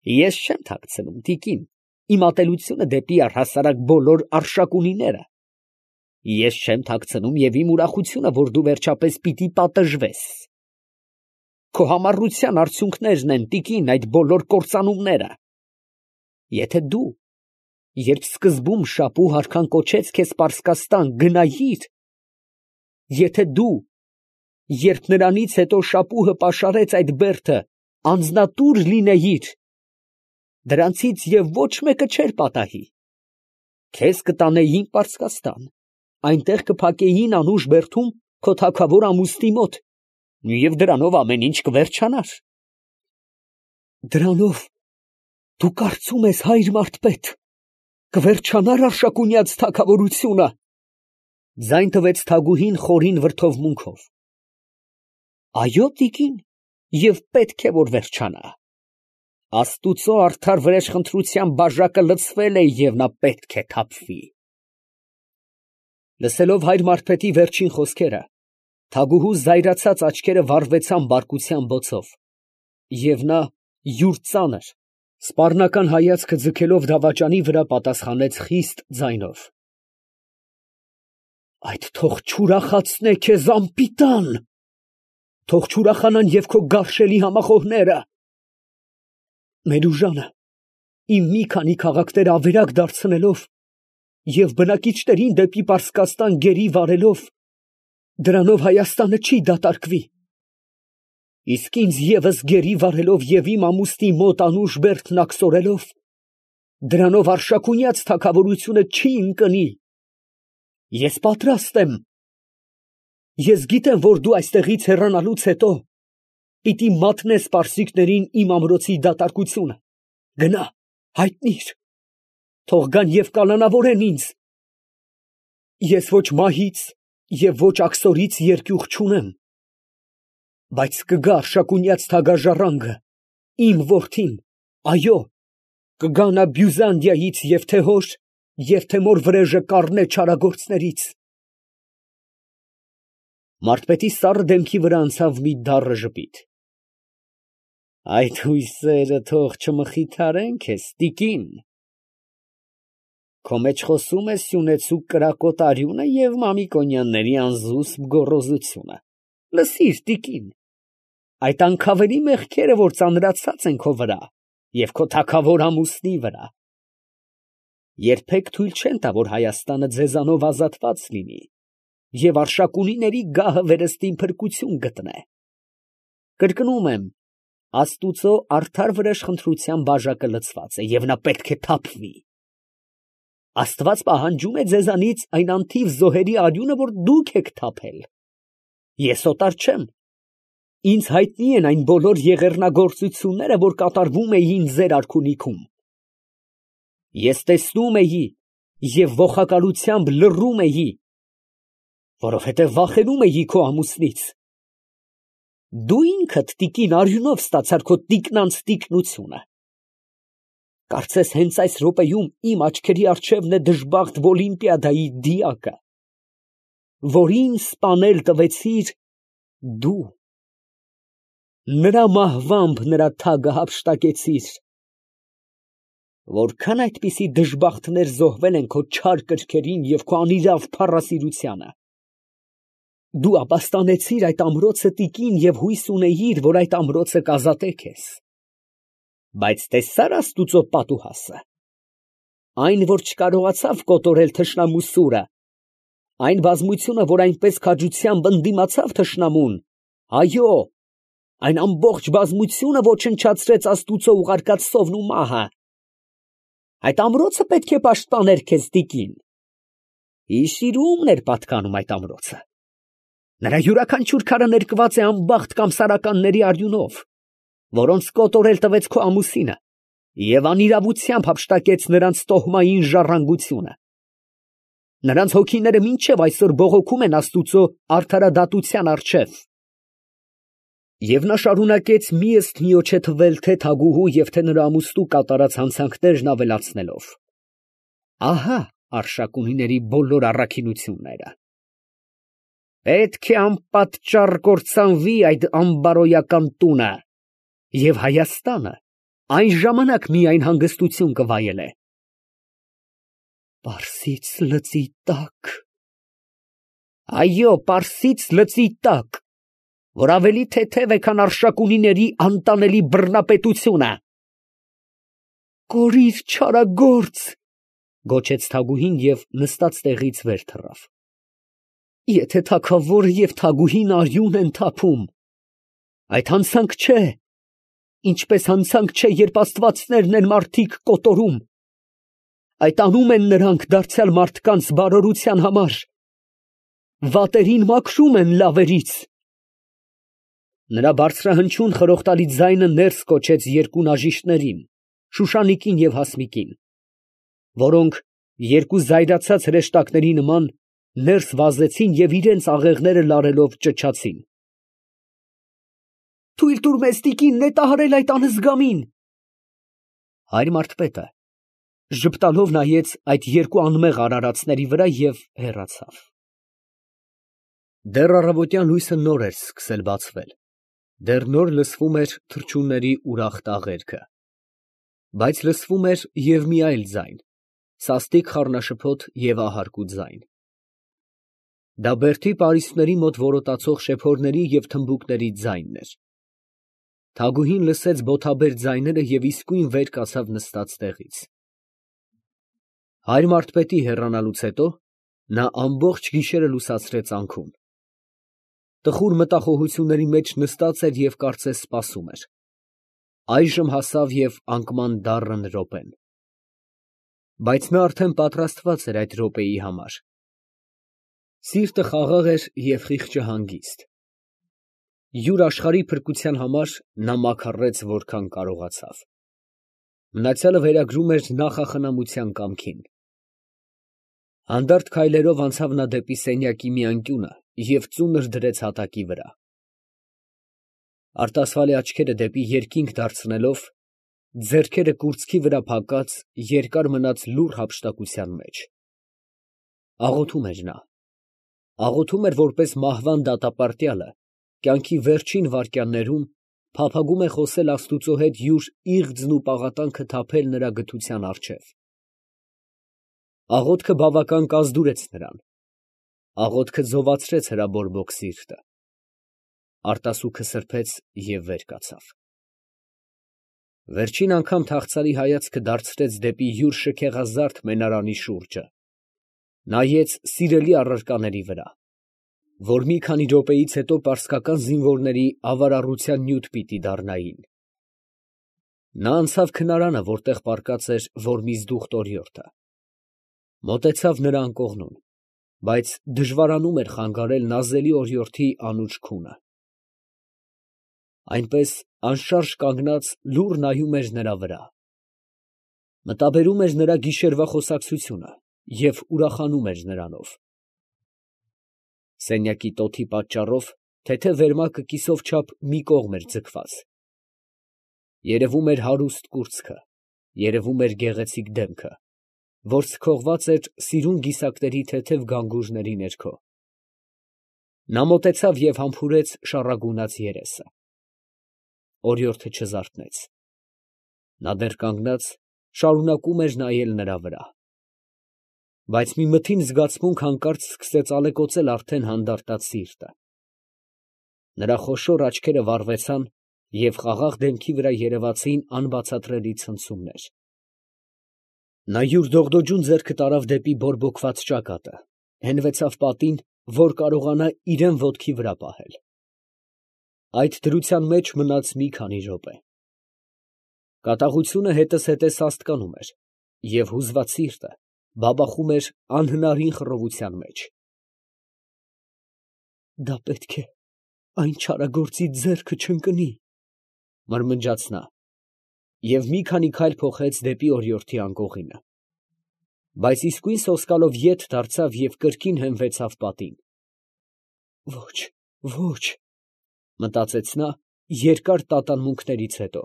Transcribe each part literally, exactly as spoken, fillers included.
Ես չեմ թաքցնում, տիկին, իմ ատելությունը դեպի առհասարակ բոլոր առշակունիները. ես չեմ թաքցնում և իմ ուրախությունը, որ դու վերջապես պիտի պատժվես. քո համառության արդյունքներն են, տիկին, այդ բոլոր կործանումները. եթե դու, երբ սկզբում Շապուհ արքան կոչեց քեզ Պարսկաստան, գնայիր, եթե դու, երբ նրանից հետո Շապուհը պաշարեց այդ բերդը, անձնատուր լինեիր, դրանցից և ոչ մեկը չէր պատահի, քեզ կտանեին Պարսկաստան, այնտեղ կփակեին Անուշ բերդում քո թագավոր ամուսնի մոտ, և դրանով ամեն ինչ կվերջանար։ Դրանով դու կարծում ես, հայր մարդ պետ, կվերջանա՞ր Արշակունյաց թագավորությունը։ Ձայն տվեց Թագուհին խորին վրդովմունքով։ Այո, տիկին, և պետք է, որ վերջանա։ Աստուծո արդար վրեժխնդրության բաժակը լցվել է, և նա պետք է թափվի։ Լսելով հայր մարդպետի վերջին խոսքերը, Թագուհու զայրացած աչքերը վառվեցան բարկության բոցով, և նա յուր ծանր, սպառնական հայացքը ձգելով դավաճանի վրա, պատասխանեց խիստ ձայնով. այդ թող չուրախացնե քեզ, անպիտան, թող չուրախանան և քո գարշելի համախոհները։ Մերուժանը իմ մի քանի քաղաքները ավերակ դարձնելով և բնակիչներին դեպի Պարսկաստան գերի վարելով, դրանով Հայաստանը չի դատարկվի, իսկ ինձ ևս գերի վարելով և իմ ամուսնի մոտ Անուշ բերդն աքսորելով, դրանով Արշակունյաց թագավորությունը չի ընկնի։ Ես պատրաստ եմ։ Ես գիտեմ, որ դու այստեղից հեռանալուց հետո պիտի մատնես պարսիկներին իմ ամրոցի դատարկությունը, գնա, հայտնիր, թող գան և կանանավորեն ինձ։ Ես ոչ մահից և ոչ աքսորից երկյուղ չունեմ, բայց կգա Արշակունյաց թագաժառանգը, իմ որդին, այո, կգա նա Բյուզանդիայից և թե հոր և թե մոր վրեժը կառնե չարագործներից։ Մարդպետի սառը դեմքի վրա անցավ մի դառը ժպիտ։ Այդ հույսերը թող չմխիթարեն քեզ, տիկին, քո մեջ խոսում է սյունեցուկ կրակոտ արյունը և Մամիկոնյանների անզուսպ գոռոզությունը։ Լսիր, տիկին, այդ անքավերի մեղքերը, որ ծանրացած են քո վրա և քո թագավոր ամուսնի վրա, երբեք թույլ չեն տա, որ Հայաստանը ձեզանով ազատված լինի և Արշակունիների գահը վերստին փրկություն գտնե։ Կրկնում եմ, Աստուծո արդար վրեժխնդրության բաժակը լցված է, և նա պետք է թափվի։ Աստված պահանջում է ձեզանից այն անթիվ զոհերի արյունը, որ դուք եք թափել։ Ես օտար չեմ։ Ինձ հայտնի են այն բոլոր եղեռնագործությունները, որ կատարվում էին ձեր արքունիքում։ Ես տեսնում էի և ոխակալությամբ լռում էի, որովհետև վախենում էի քո ամուսնից։ Դու ինքդ, տիկին, արյունով ստացար քո տիկնանց տիկնությունը։ Կարծես հենց այս րոպեում իմ աչքերի առջևն է դժբախտ Օլիմպիադայի դիակը, որին սպանել տվեցիր դու, նրա մահվամբ նրա թագը հափշտակեցիր։ Որքա՞ն այդպիսի դժբախտներ զոհվել են քո չար կրքերին և քո անիրավ փառասիրությանը։ Դու ապաստանեցիր այդ ամրոցը, տիկին, և հույս ունեիր, որ այդ ամրոցը կազատե քեզ։ Բայց տեսա՞ր Աստուծո պատուհասը, այն, որ չկարողացավ կոտորել թշնամու սուրը, այն բազմությունը, որ այնպես քաջությամբ ընդդիմացավ թշնամուն, այո, այն ամբողջ բազմությունը ոչնչացրեց Աստուծո ուղարկած սովն ու մահը։ Այդ ամրոցը պետք է պաշտպաներ քեզ, տիկին։ Հիշիր, ումն էր պատկանում այդ ամրոցը։ Նրա յուրաքանչյուր քարը ներկված է անբախտ կամսարականների արյունով, որոնց կոտորել տվեց քո ամուսինը և անիրավությամբ հափշտակեց նրանց տոհմային ժառանգությունը։ Նրանց հոգիները մինչև այսօր բողոքում են Աստուծո արդարադատության առջև։ Եվ նա շարունակեց մի ըստ միոչե թվել թե Թագուհու և թե նրա ամուսնու կատարած հանցանքներն ավելացնելով. ահա Արշակունիների բոլոր առաքինությունները։ Պետք է անպատճառ կործանվի այդ անբարոյական տունը, և Հայաստանը այն ժամանակ միայն հանգստություն կվայելե։ Պարսից լծի տակ։ Այո, Պարսից լծի տակ, որ ավելի թեթև է, քան Արշակունիների անտանելի բռնապետությունը։ Կորիր չարագործ, գոչեց Թագուհին և նստած տեղից վեր թռավ։ Եթե թագավորը և թագուհին արյուն են թափում, այդ հանցանք չէ, ինչպես հանցանք չէ, երբ աստվածներն են մարդիկ կոտորում, այդ անում են նրանք դարձյալ մարդկանց բարօրության համար, վատերին մաքրում են լավերից։ Նրա բարձրահնչյուն խրոխտալի ձայնը ներս կոչեց երկու նաժիշտներին, Շուշանիկին և Հասմիկին, որոնք երկու զայրացած հրեշտակների նման ներս վազեցին և իրենց աղեղները լարելով ճչացին. Թույլ տուր մեզ տիկին նետահարել այդ անզգամին։ Հայր մարդպետը ժպտալով նայեց այդ երկու անմեղ արարածների վրա և հեռացավ։ Դեռ առավոտյան լույսը նոր էր սկսել բացվել, դեռ նոր լսվում էր թռչունների ուրախ տաղերքը, բայց լսվում էր և մի այլ ձայն, սաստիկ խառնաշփոթ և ահարկու ձայն։ Դա բերդի պարիսպների մոտ որոտացող շեփորների և թմբուկների ձայնն էր։ Թագուհին լսեց բոթաբեր ձայները և իսկույն վեր կացավ նստած տեղից։ Հայր մարդպետի հեռանալուց հետո նա ամբողջ գիշերը լուսացրեց անքուն։ Տխուր մտախոհությունների մեջ նստած էր և կարծես սպասում էր։ Այժմ հասավ և անկման դառն րոպեն։ Բայց նա արդեն պատրաստված էր այդ րոպեի համար։ Սիրտը խաղաղ էր և խիղճը հանգիստ։ Յուր աշխարհի փրկության համար նա մաքարեց որքան կարողացավ։ Մնացյալը վերագրում էր նախախնամության կամքին։ Հանդարտ քայլերով անցավ նա դեպի սենյակի մի անկյունը և ծունր դրեց հատակի վրա։ Արտասվալի աչքերը դեպի երկինք դարձնելով, ձեռքերը կուրծքի վրա փակած, երկար մնաց լուռ հափշտակության մեջ։ Աղոթում էր նա, աղոթում էր, որպես մահվան դատապարտյալը կյանքի վերջին վայրկյաններում փափագում է խոսել Աստուծո հետ յուր իղձն ու պաղատանքը թափել նրա գթության առջև։ Աղոթքը բավական կազդուրեց նրան, աղոթքը ձովացրեց հրաբորբոք սիրտը։ Արտասուքը սրբեց և վեր կացավ։ Վերջին անգամ թախծալի հայացքը դարձրեց դեպի յուր շքեղազարդ մենարանի շուրջը, նայեց սիրելի առարկաների վրա, որ մի քանի րոպեից հետո պարսկական զինվորների ավարառության նյութ պիտի դառնային։ Նա անցավ քնարանը, որտեղ պառկած էր Որմիզդուխ տորիորդը, մոտեցավ նրա անկողնուն, բայց դժվարանում էր խանգարել նազելի օրիորդի անուչ քունը։ Այնպես անշարժ կանգնած լուռ նայում էր նրա վրա։ Մտաբերում էր նրա գիշերվա խոսակցությունը և ուրախանում էր նրանով։ Սենյակի տոթի պատճառով թեթև վերմակը կիսով չափ մի կողմ էր ձգված։ Երևում էր հարուստ կուրծքը, երևում էր գեղեցիկ դեմքը, որ սքողված էր սիրուն գիսակների թեթև գանգուժների ներքո։ Նա մոտեցավ և համբուրեց շառագունած երեսը։ Օրիորդը չզարթնեց։ Նա դեռ կանգնած շարունակում էր նայել նրա վրա։ Բայց մի մթին զգացմունք հանկարծ սկսեց ալեկոծել արդեն հանդարտած սիրտը։ Նրա խոշոր աչքերը վառվեցան և խաղաղ դեմքի վրա երևացին անբացատրելի ցնցումներ։ Նա յուր դողդոջուն ձեռքը տարավ դեպի բորբոքված ճակատը, հենվեցավ պատին, որ կարողանա իրան ոտքի վրա պահել։ Այդ դրության մեջ մնաց մի քանի րոպե։ Կատաղությունը հետզհետե սաստկանում էր, և հուզված սիրտը բաբախում էր անհնարին խռովության մեջ։ «Դա պետք է այն չարագործի ձեռքը չընկնի», ֊ մրմնջաց նա և մի քանի քայլ փոխեց դեպի օրիորդի անկողինը, բայց իսկույն սոսկալով ետ դարձավ և կրկին հենվեցավ պատին։ «Ոչ, ոչ», ֊ մտածեց նա երկար տատանմունքներից հետո,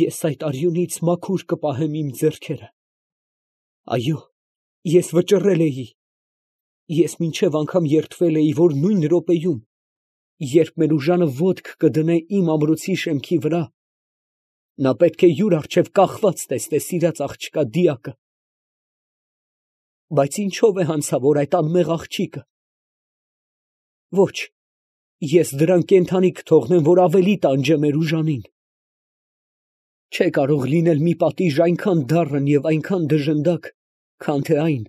«ես այդ արյունից մաքուր կպահեմ իմ ձեռքերը։ Այո, ես վճռել էի, ես մինչև անգամ երդվել էի, որ նույն րոպեում, երբ մեր ուժանը ոտք կդնե իմ ամրոցի շեմքի վրա, Նա պետք է յուր առջև կախված տեսնե սիրած աղջկա դիակը։ Բայց ինչո՞վ է հանցավոր այդ անմեղ աղջիկը։ Ոչ, ես դրան կենդանի կթողնեմ, որ ավելի տանջե Մերուժանին։ Չէ կարող լինել մի պատիժ այնքան դառն և այնքան դժնդակ, քան թե այն,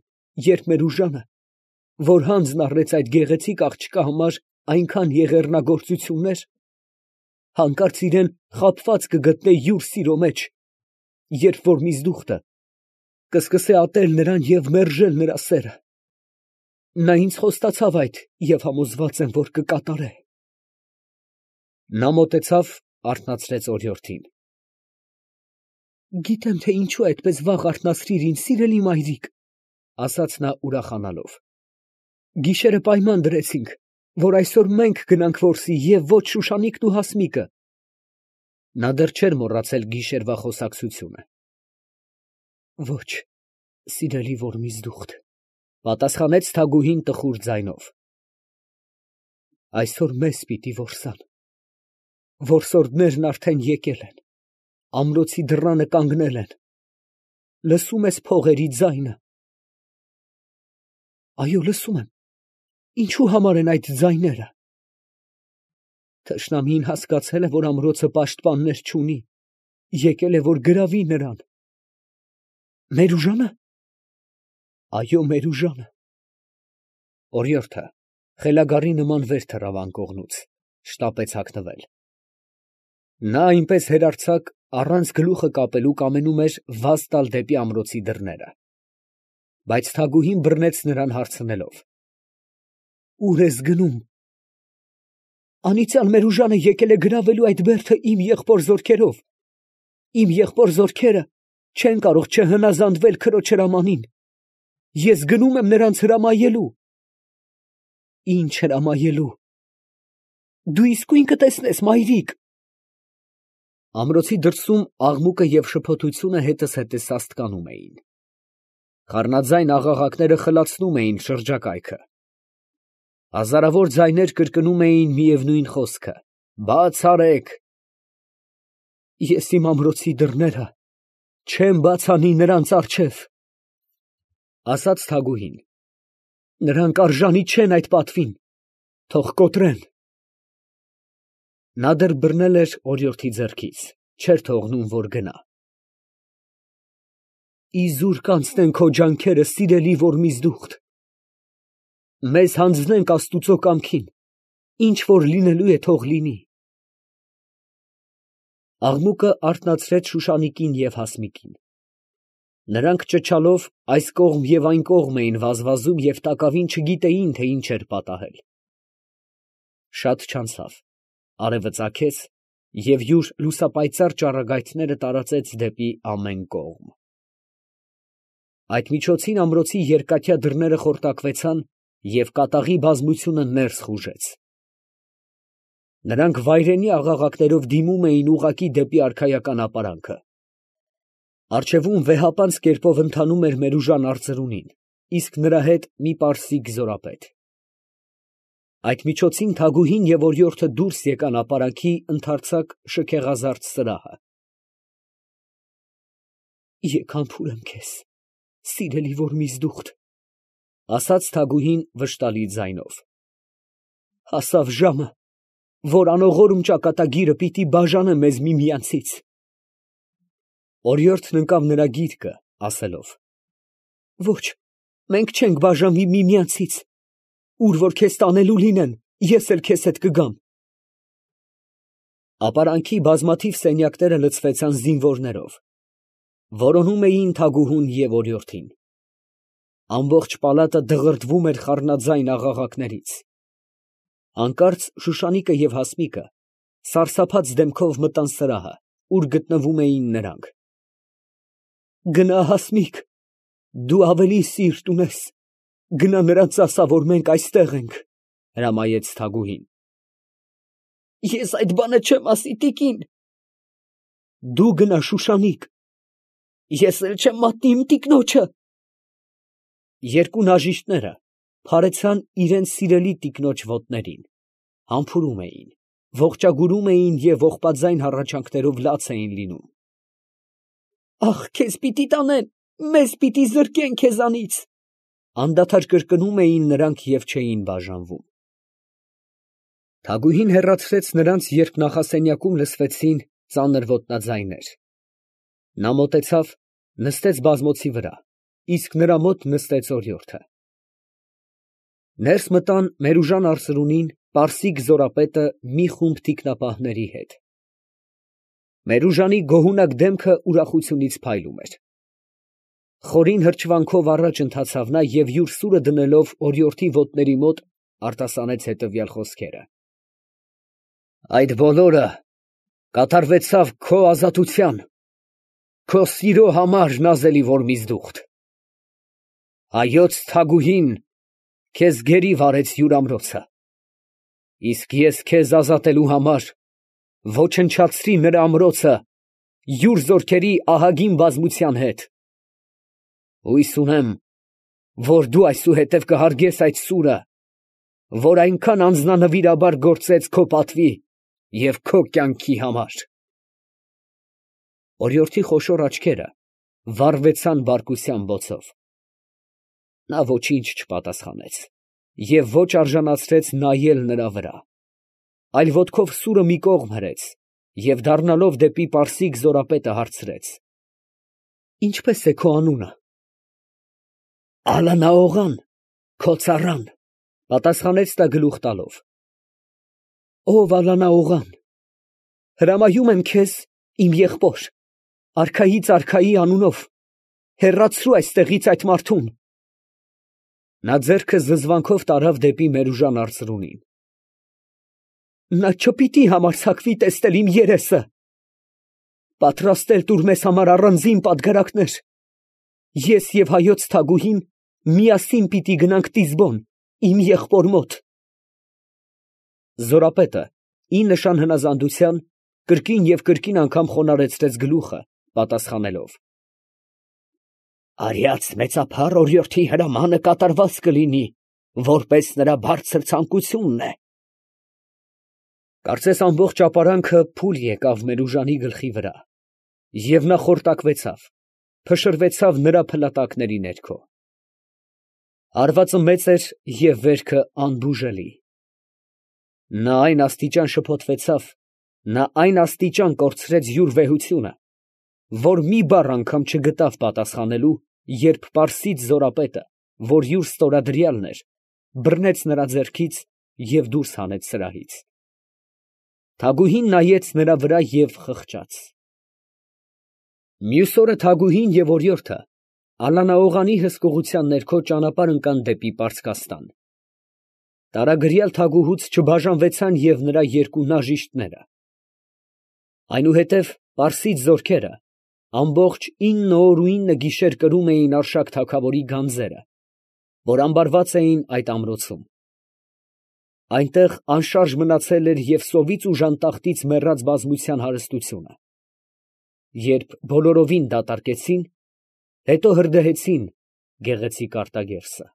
երբ Մերուժանը, որ հանձն առեց այդ գեղեցիկ աղջկա համար այնքան եղեռնագործություններ, հանկարծ իրան խաբված կգտնե յուր սիրո մեջ, երբ որ միզդուխտը կսկսե ատել նրան և մերժել նրա սերը։ Նա ինձ խոստացավ այդ և համոզված եմ, որ կկատարե։ Նա մոտեցավ, արթնացրեց օրիորդին։ Գիտեմ, թե ինչու այդպես վաղ արթնացրիր ինձ, սիրելի մայրիկ, ասաց նա ուրախանալով։ Գիշերը պայման դրեցինք, որ այսօր մենք գնանք որսի և ոչ Շուշանիկն ու Հասմիկը։ Նա դեռ չէր մոռացել գիշերվա խոսակցությունը։ Ոչ, սիրելի Որմիզդուխտ, պատասխանեց Թագուհին տխուր ձայնով։ Այսօր մեզ պիտի որսան։ Որսորդներն արդեն եկել են, ամրոցի դռանը կանգնել են։ Լսում ես փողերի ձայնը։ Այո, լսում եմ։ Ինչու համար են այդ ձայները։ Թշնամին հասկացել է, որ ամրոցը պաշտպաններ չունի, եկել է, որ գրավի նրան։ Մերուժանը։ Այո, Մերուժանը։ Օրիորդը խելագարի նման վեր թռավ անկողնուց, շտապեց հագնվել։ Նա այնպես հեռարձակ, առանց գլուխը կապելու կամենում էր վազ տալ դեպի ամրոցի դռները։ Բայց Թագուհին բռնեց նրան հարցնելով. Ուր ես գնում։ Անիծյալ Մերուժանը եկել է գրավելու այդ բերդը իմ եղբոր զորքերով։ Իմ եղբոր զորքերը չեն կարող չհնազանդվել քրոջ հրամանին։ Ես գնում եմ նրանց հրամայելու։ Ինչ հրամայելու։ Դու իսկույն կտեսնես, մայրիկ։ Ամրոցի դրսում աղմուկը և շփոթությունը հետս հետե սաստկանում էին։ Խառնաձայն աղաղակները խլացնում էին շրջակայքը։ Հազարավոր ձայներ կրկնում էին միևնույն խոսքը. «Բաց արեք»։ Ես իմ ամրոցի դռները չեմ բաց անի նրանց առջև, ասաց Թագուհին։ Նրանք արժանի չեն այդ պատվին, թող կոտրեն։ Նա դեռ բռնել էր օրիորդի ձեռքից, չէր թողնում, որ գնա։ Իզուր կանցնեն քո ջանքերը, սիրելի Որմիզդուխտ։ Մեզ հանձնենք Աստուծո կամքին, ինչ որ լինելու է, թող լինի։ Աղմուկը արթնացրեց Շուշանիկին և Հասմիկին։ Նրանք ճչալով այս կողմ և այն կողմ էին վազվազում և տակավին չգիտեին, թե ինչ էր պատահել։ Շատ չանցավ, արևը ծագեց և յուր լուսապայծառ ճառագայթները տարածեց դեպի ամեն կողմ։ Այդ միջոցին ամրոցի երկաթյա դռները խորտակվեցան և կատաղի բազմությունը ներս խուժեց։ Նրանք վայրենի աղաղակներով դիմում էին ուղղակի դեպի արքայական ապարանքը։ Առջևում վեհապանծ կերպով ընթանում էր Մերուժան արծրունին, իսկ նրա հետ մի պարսիկ զորապետ։ Այդ միջոցին Թագուհին և օրիորդը դուրս եկան ապարանքի ընդարձակ շքեղազարդ սրահը։ Եկ համբուրեմ քեզ, սիրելի Որմիզդուխտ, ասաց Թագուհին վշտալի ձայնով։ Հասավ ժամը, որ անողորմ ճակատագիրը պիտի բաժանե մեզ միմյանցից։ Օրիորդն ընկավ նրա գիրկը, ասելով. Ոչ, մենք չենք բաժանվի միմյանցից, ուր որ քեզ տանելու լինեն, ես էլ քեզ հետ կգամ։ Ապարանքի բազմաթիվ սենյակները լցվեցան զինվորներով, որոնում էին Թագուհուն և օրիորդին։ Ամբողջ պալատը դղրդվում էր խառնաձայն աղաղակներից։ Հանկարծ Շուշանիկը և Հասմիկը սարսափած դեմքով մտան սրահը, ուր գտնվում էին նրանք։ Գնա, Հասմիկ, դու ավելի սիրտ ունես, գնա նրանց ասա, որ մենք այստեղ ենք, հրամայեց Թագուհին։ Ես այդ բանը չեմ ասի, տիկին։ Դու գնա, Շուշանիկ, ես էլ չեմ մատնի իմ տիկնոջը։ Երկու նաժիշտները փարեցան իրենց սիրելի տիկնոջ ոտներին, համբուրում էին, ողջագուրում էին և ողբաձայն հառաչանքներով լաց էին լինում։ Ախ, քեզ պիտի տանեն, մեզ պիտի զրկեն քեզանից, անդադար կրկնում էին նրանք և չէին բաժանվում։ Թագուհին հեռացրեց նրանց, երբ նախասենյակում լսվեցին ծանր ոտնաձայներ։ Նա մոտեցավ, նստեց բազմոցի վրա, իսկ նրա մոտ նստեց օրիորդը։ Ներս մտան Մերուժան արծրունին պարսիկ զորապետը մի խումբ թիկնապահների հետ։ Մերուժանի գոհունակ դեմքը ուրախությունից փայլում էր։ Խորին հրճվանքով առաջ ընթացավ նա և յուր սուրը դնելով օրիորդի ոտների մոտ արտասանեց հետևյալ խոսքերը. «Այդ բոլորը կատարվեցավ քո ազատության, քո սիրո համար, նազելի Որմիզդուխտ։ Հայոց թագուհին քեզ գերի վարեց յուր ամրոցը, իսկ ես քեզ ազատելու համար ոչնչացրի նրա ամրոցը յուր զորքերի ահագին բազմության հետ։ Հույս ունեմ, որ դու այսուհետև կհարգես այդ սուրը, որ այնքան անձնանվիրաբար գործեց քո պատվի և քո կյանքի համար»։ Օրիորդի խոշոր աչքերը վառվեցան բարկության բոցով։ Նա ոչինչ չպատասխանեց և ոչ արժանացրեց նայել նրա վրա, այլ ոտքով սուրը մի կողմ հրեց և դառնալով դեպի պարսիկ զորապետը հարցրեց. «Ի՞նչպես է քո անունը»։ «Ալանաօղան, քո ծառան», պատասխանեց նա գլուխ տալով։ «Ով Ալանաօղան, հրամայում եմ քեզ, իմ եղբոր, արքայից արքայի անունով, հեռացրու այստեղից այդ մարդուն»։ Նա ձեռքը զզվանքով տարավ դեպի Մերուժան արծրունին։ «Նա չպիտի համարձակվի տեսնել իմ երեսը։ Պատրաստել տուր մեզ համար առանձին պատգարակներ. ես և հայոց թագուհին միասին պիտի գնանք Տիզբոն, իմ եղբոր մոտ»։ Զորապետը, ի նշան հնազանդության, կրկին և կրկին անգամ խոնարհեցրեց գլուխը, պատասխանելով. «Արյաց մեծափառ օրիորդի հրամանը կատարված կլինի, որպես նրա բարձր ցանկությունն է»։ Կարծես ամբողջ ապարանքը փուլ եկավ Մերուժանի գլխի վրա, և նա խորտակվեցավ, փշրվեցավ նրա փլատակների ներքո։ Հարվածը մեծ էր և վերքը անբուժելի։ Նա այն աստիճան շփոթվեցավ, նա այն աստիճան կորցրեց յուր վեհությունը, որ մի բառ անգամ չգտավ պատասխանելու, երբ պարսից զորապետը, որ յուր ստորադրյալն էր, բռնեց նրա ձեռքից և դուրս հանեց սրահից։ Թագուհին նայեց նրա վրա և խղճաց։ Մյուս օրը թագուհին և օրիորդը Ալանաօղանի հսկողության ներքո ճանապարհ ընկան դեպի Պարսկաստան։ Տարագրյալ թագուհուց չբաժանվեցան և նրա երկու նաժիշտները։ Այնուհետև պարսից զորքերը ամբողջ ինը օր ու ինը գիշեր կրում էին Արշակ թագավորի գանձերը, որ ամբարված էին այդ ամրոցում։ Այնտեղ անշարժ մնացել էր և սովից ու ժանտախտից մեռած բազմության հարստությունը։ Երբ բոլորովին դատարկեցին, հետո հրդեհեցին գեղեցիկ արտագերսը։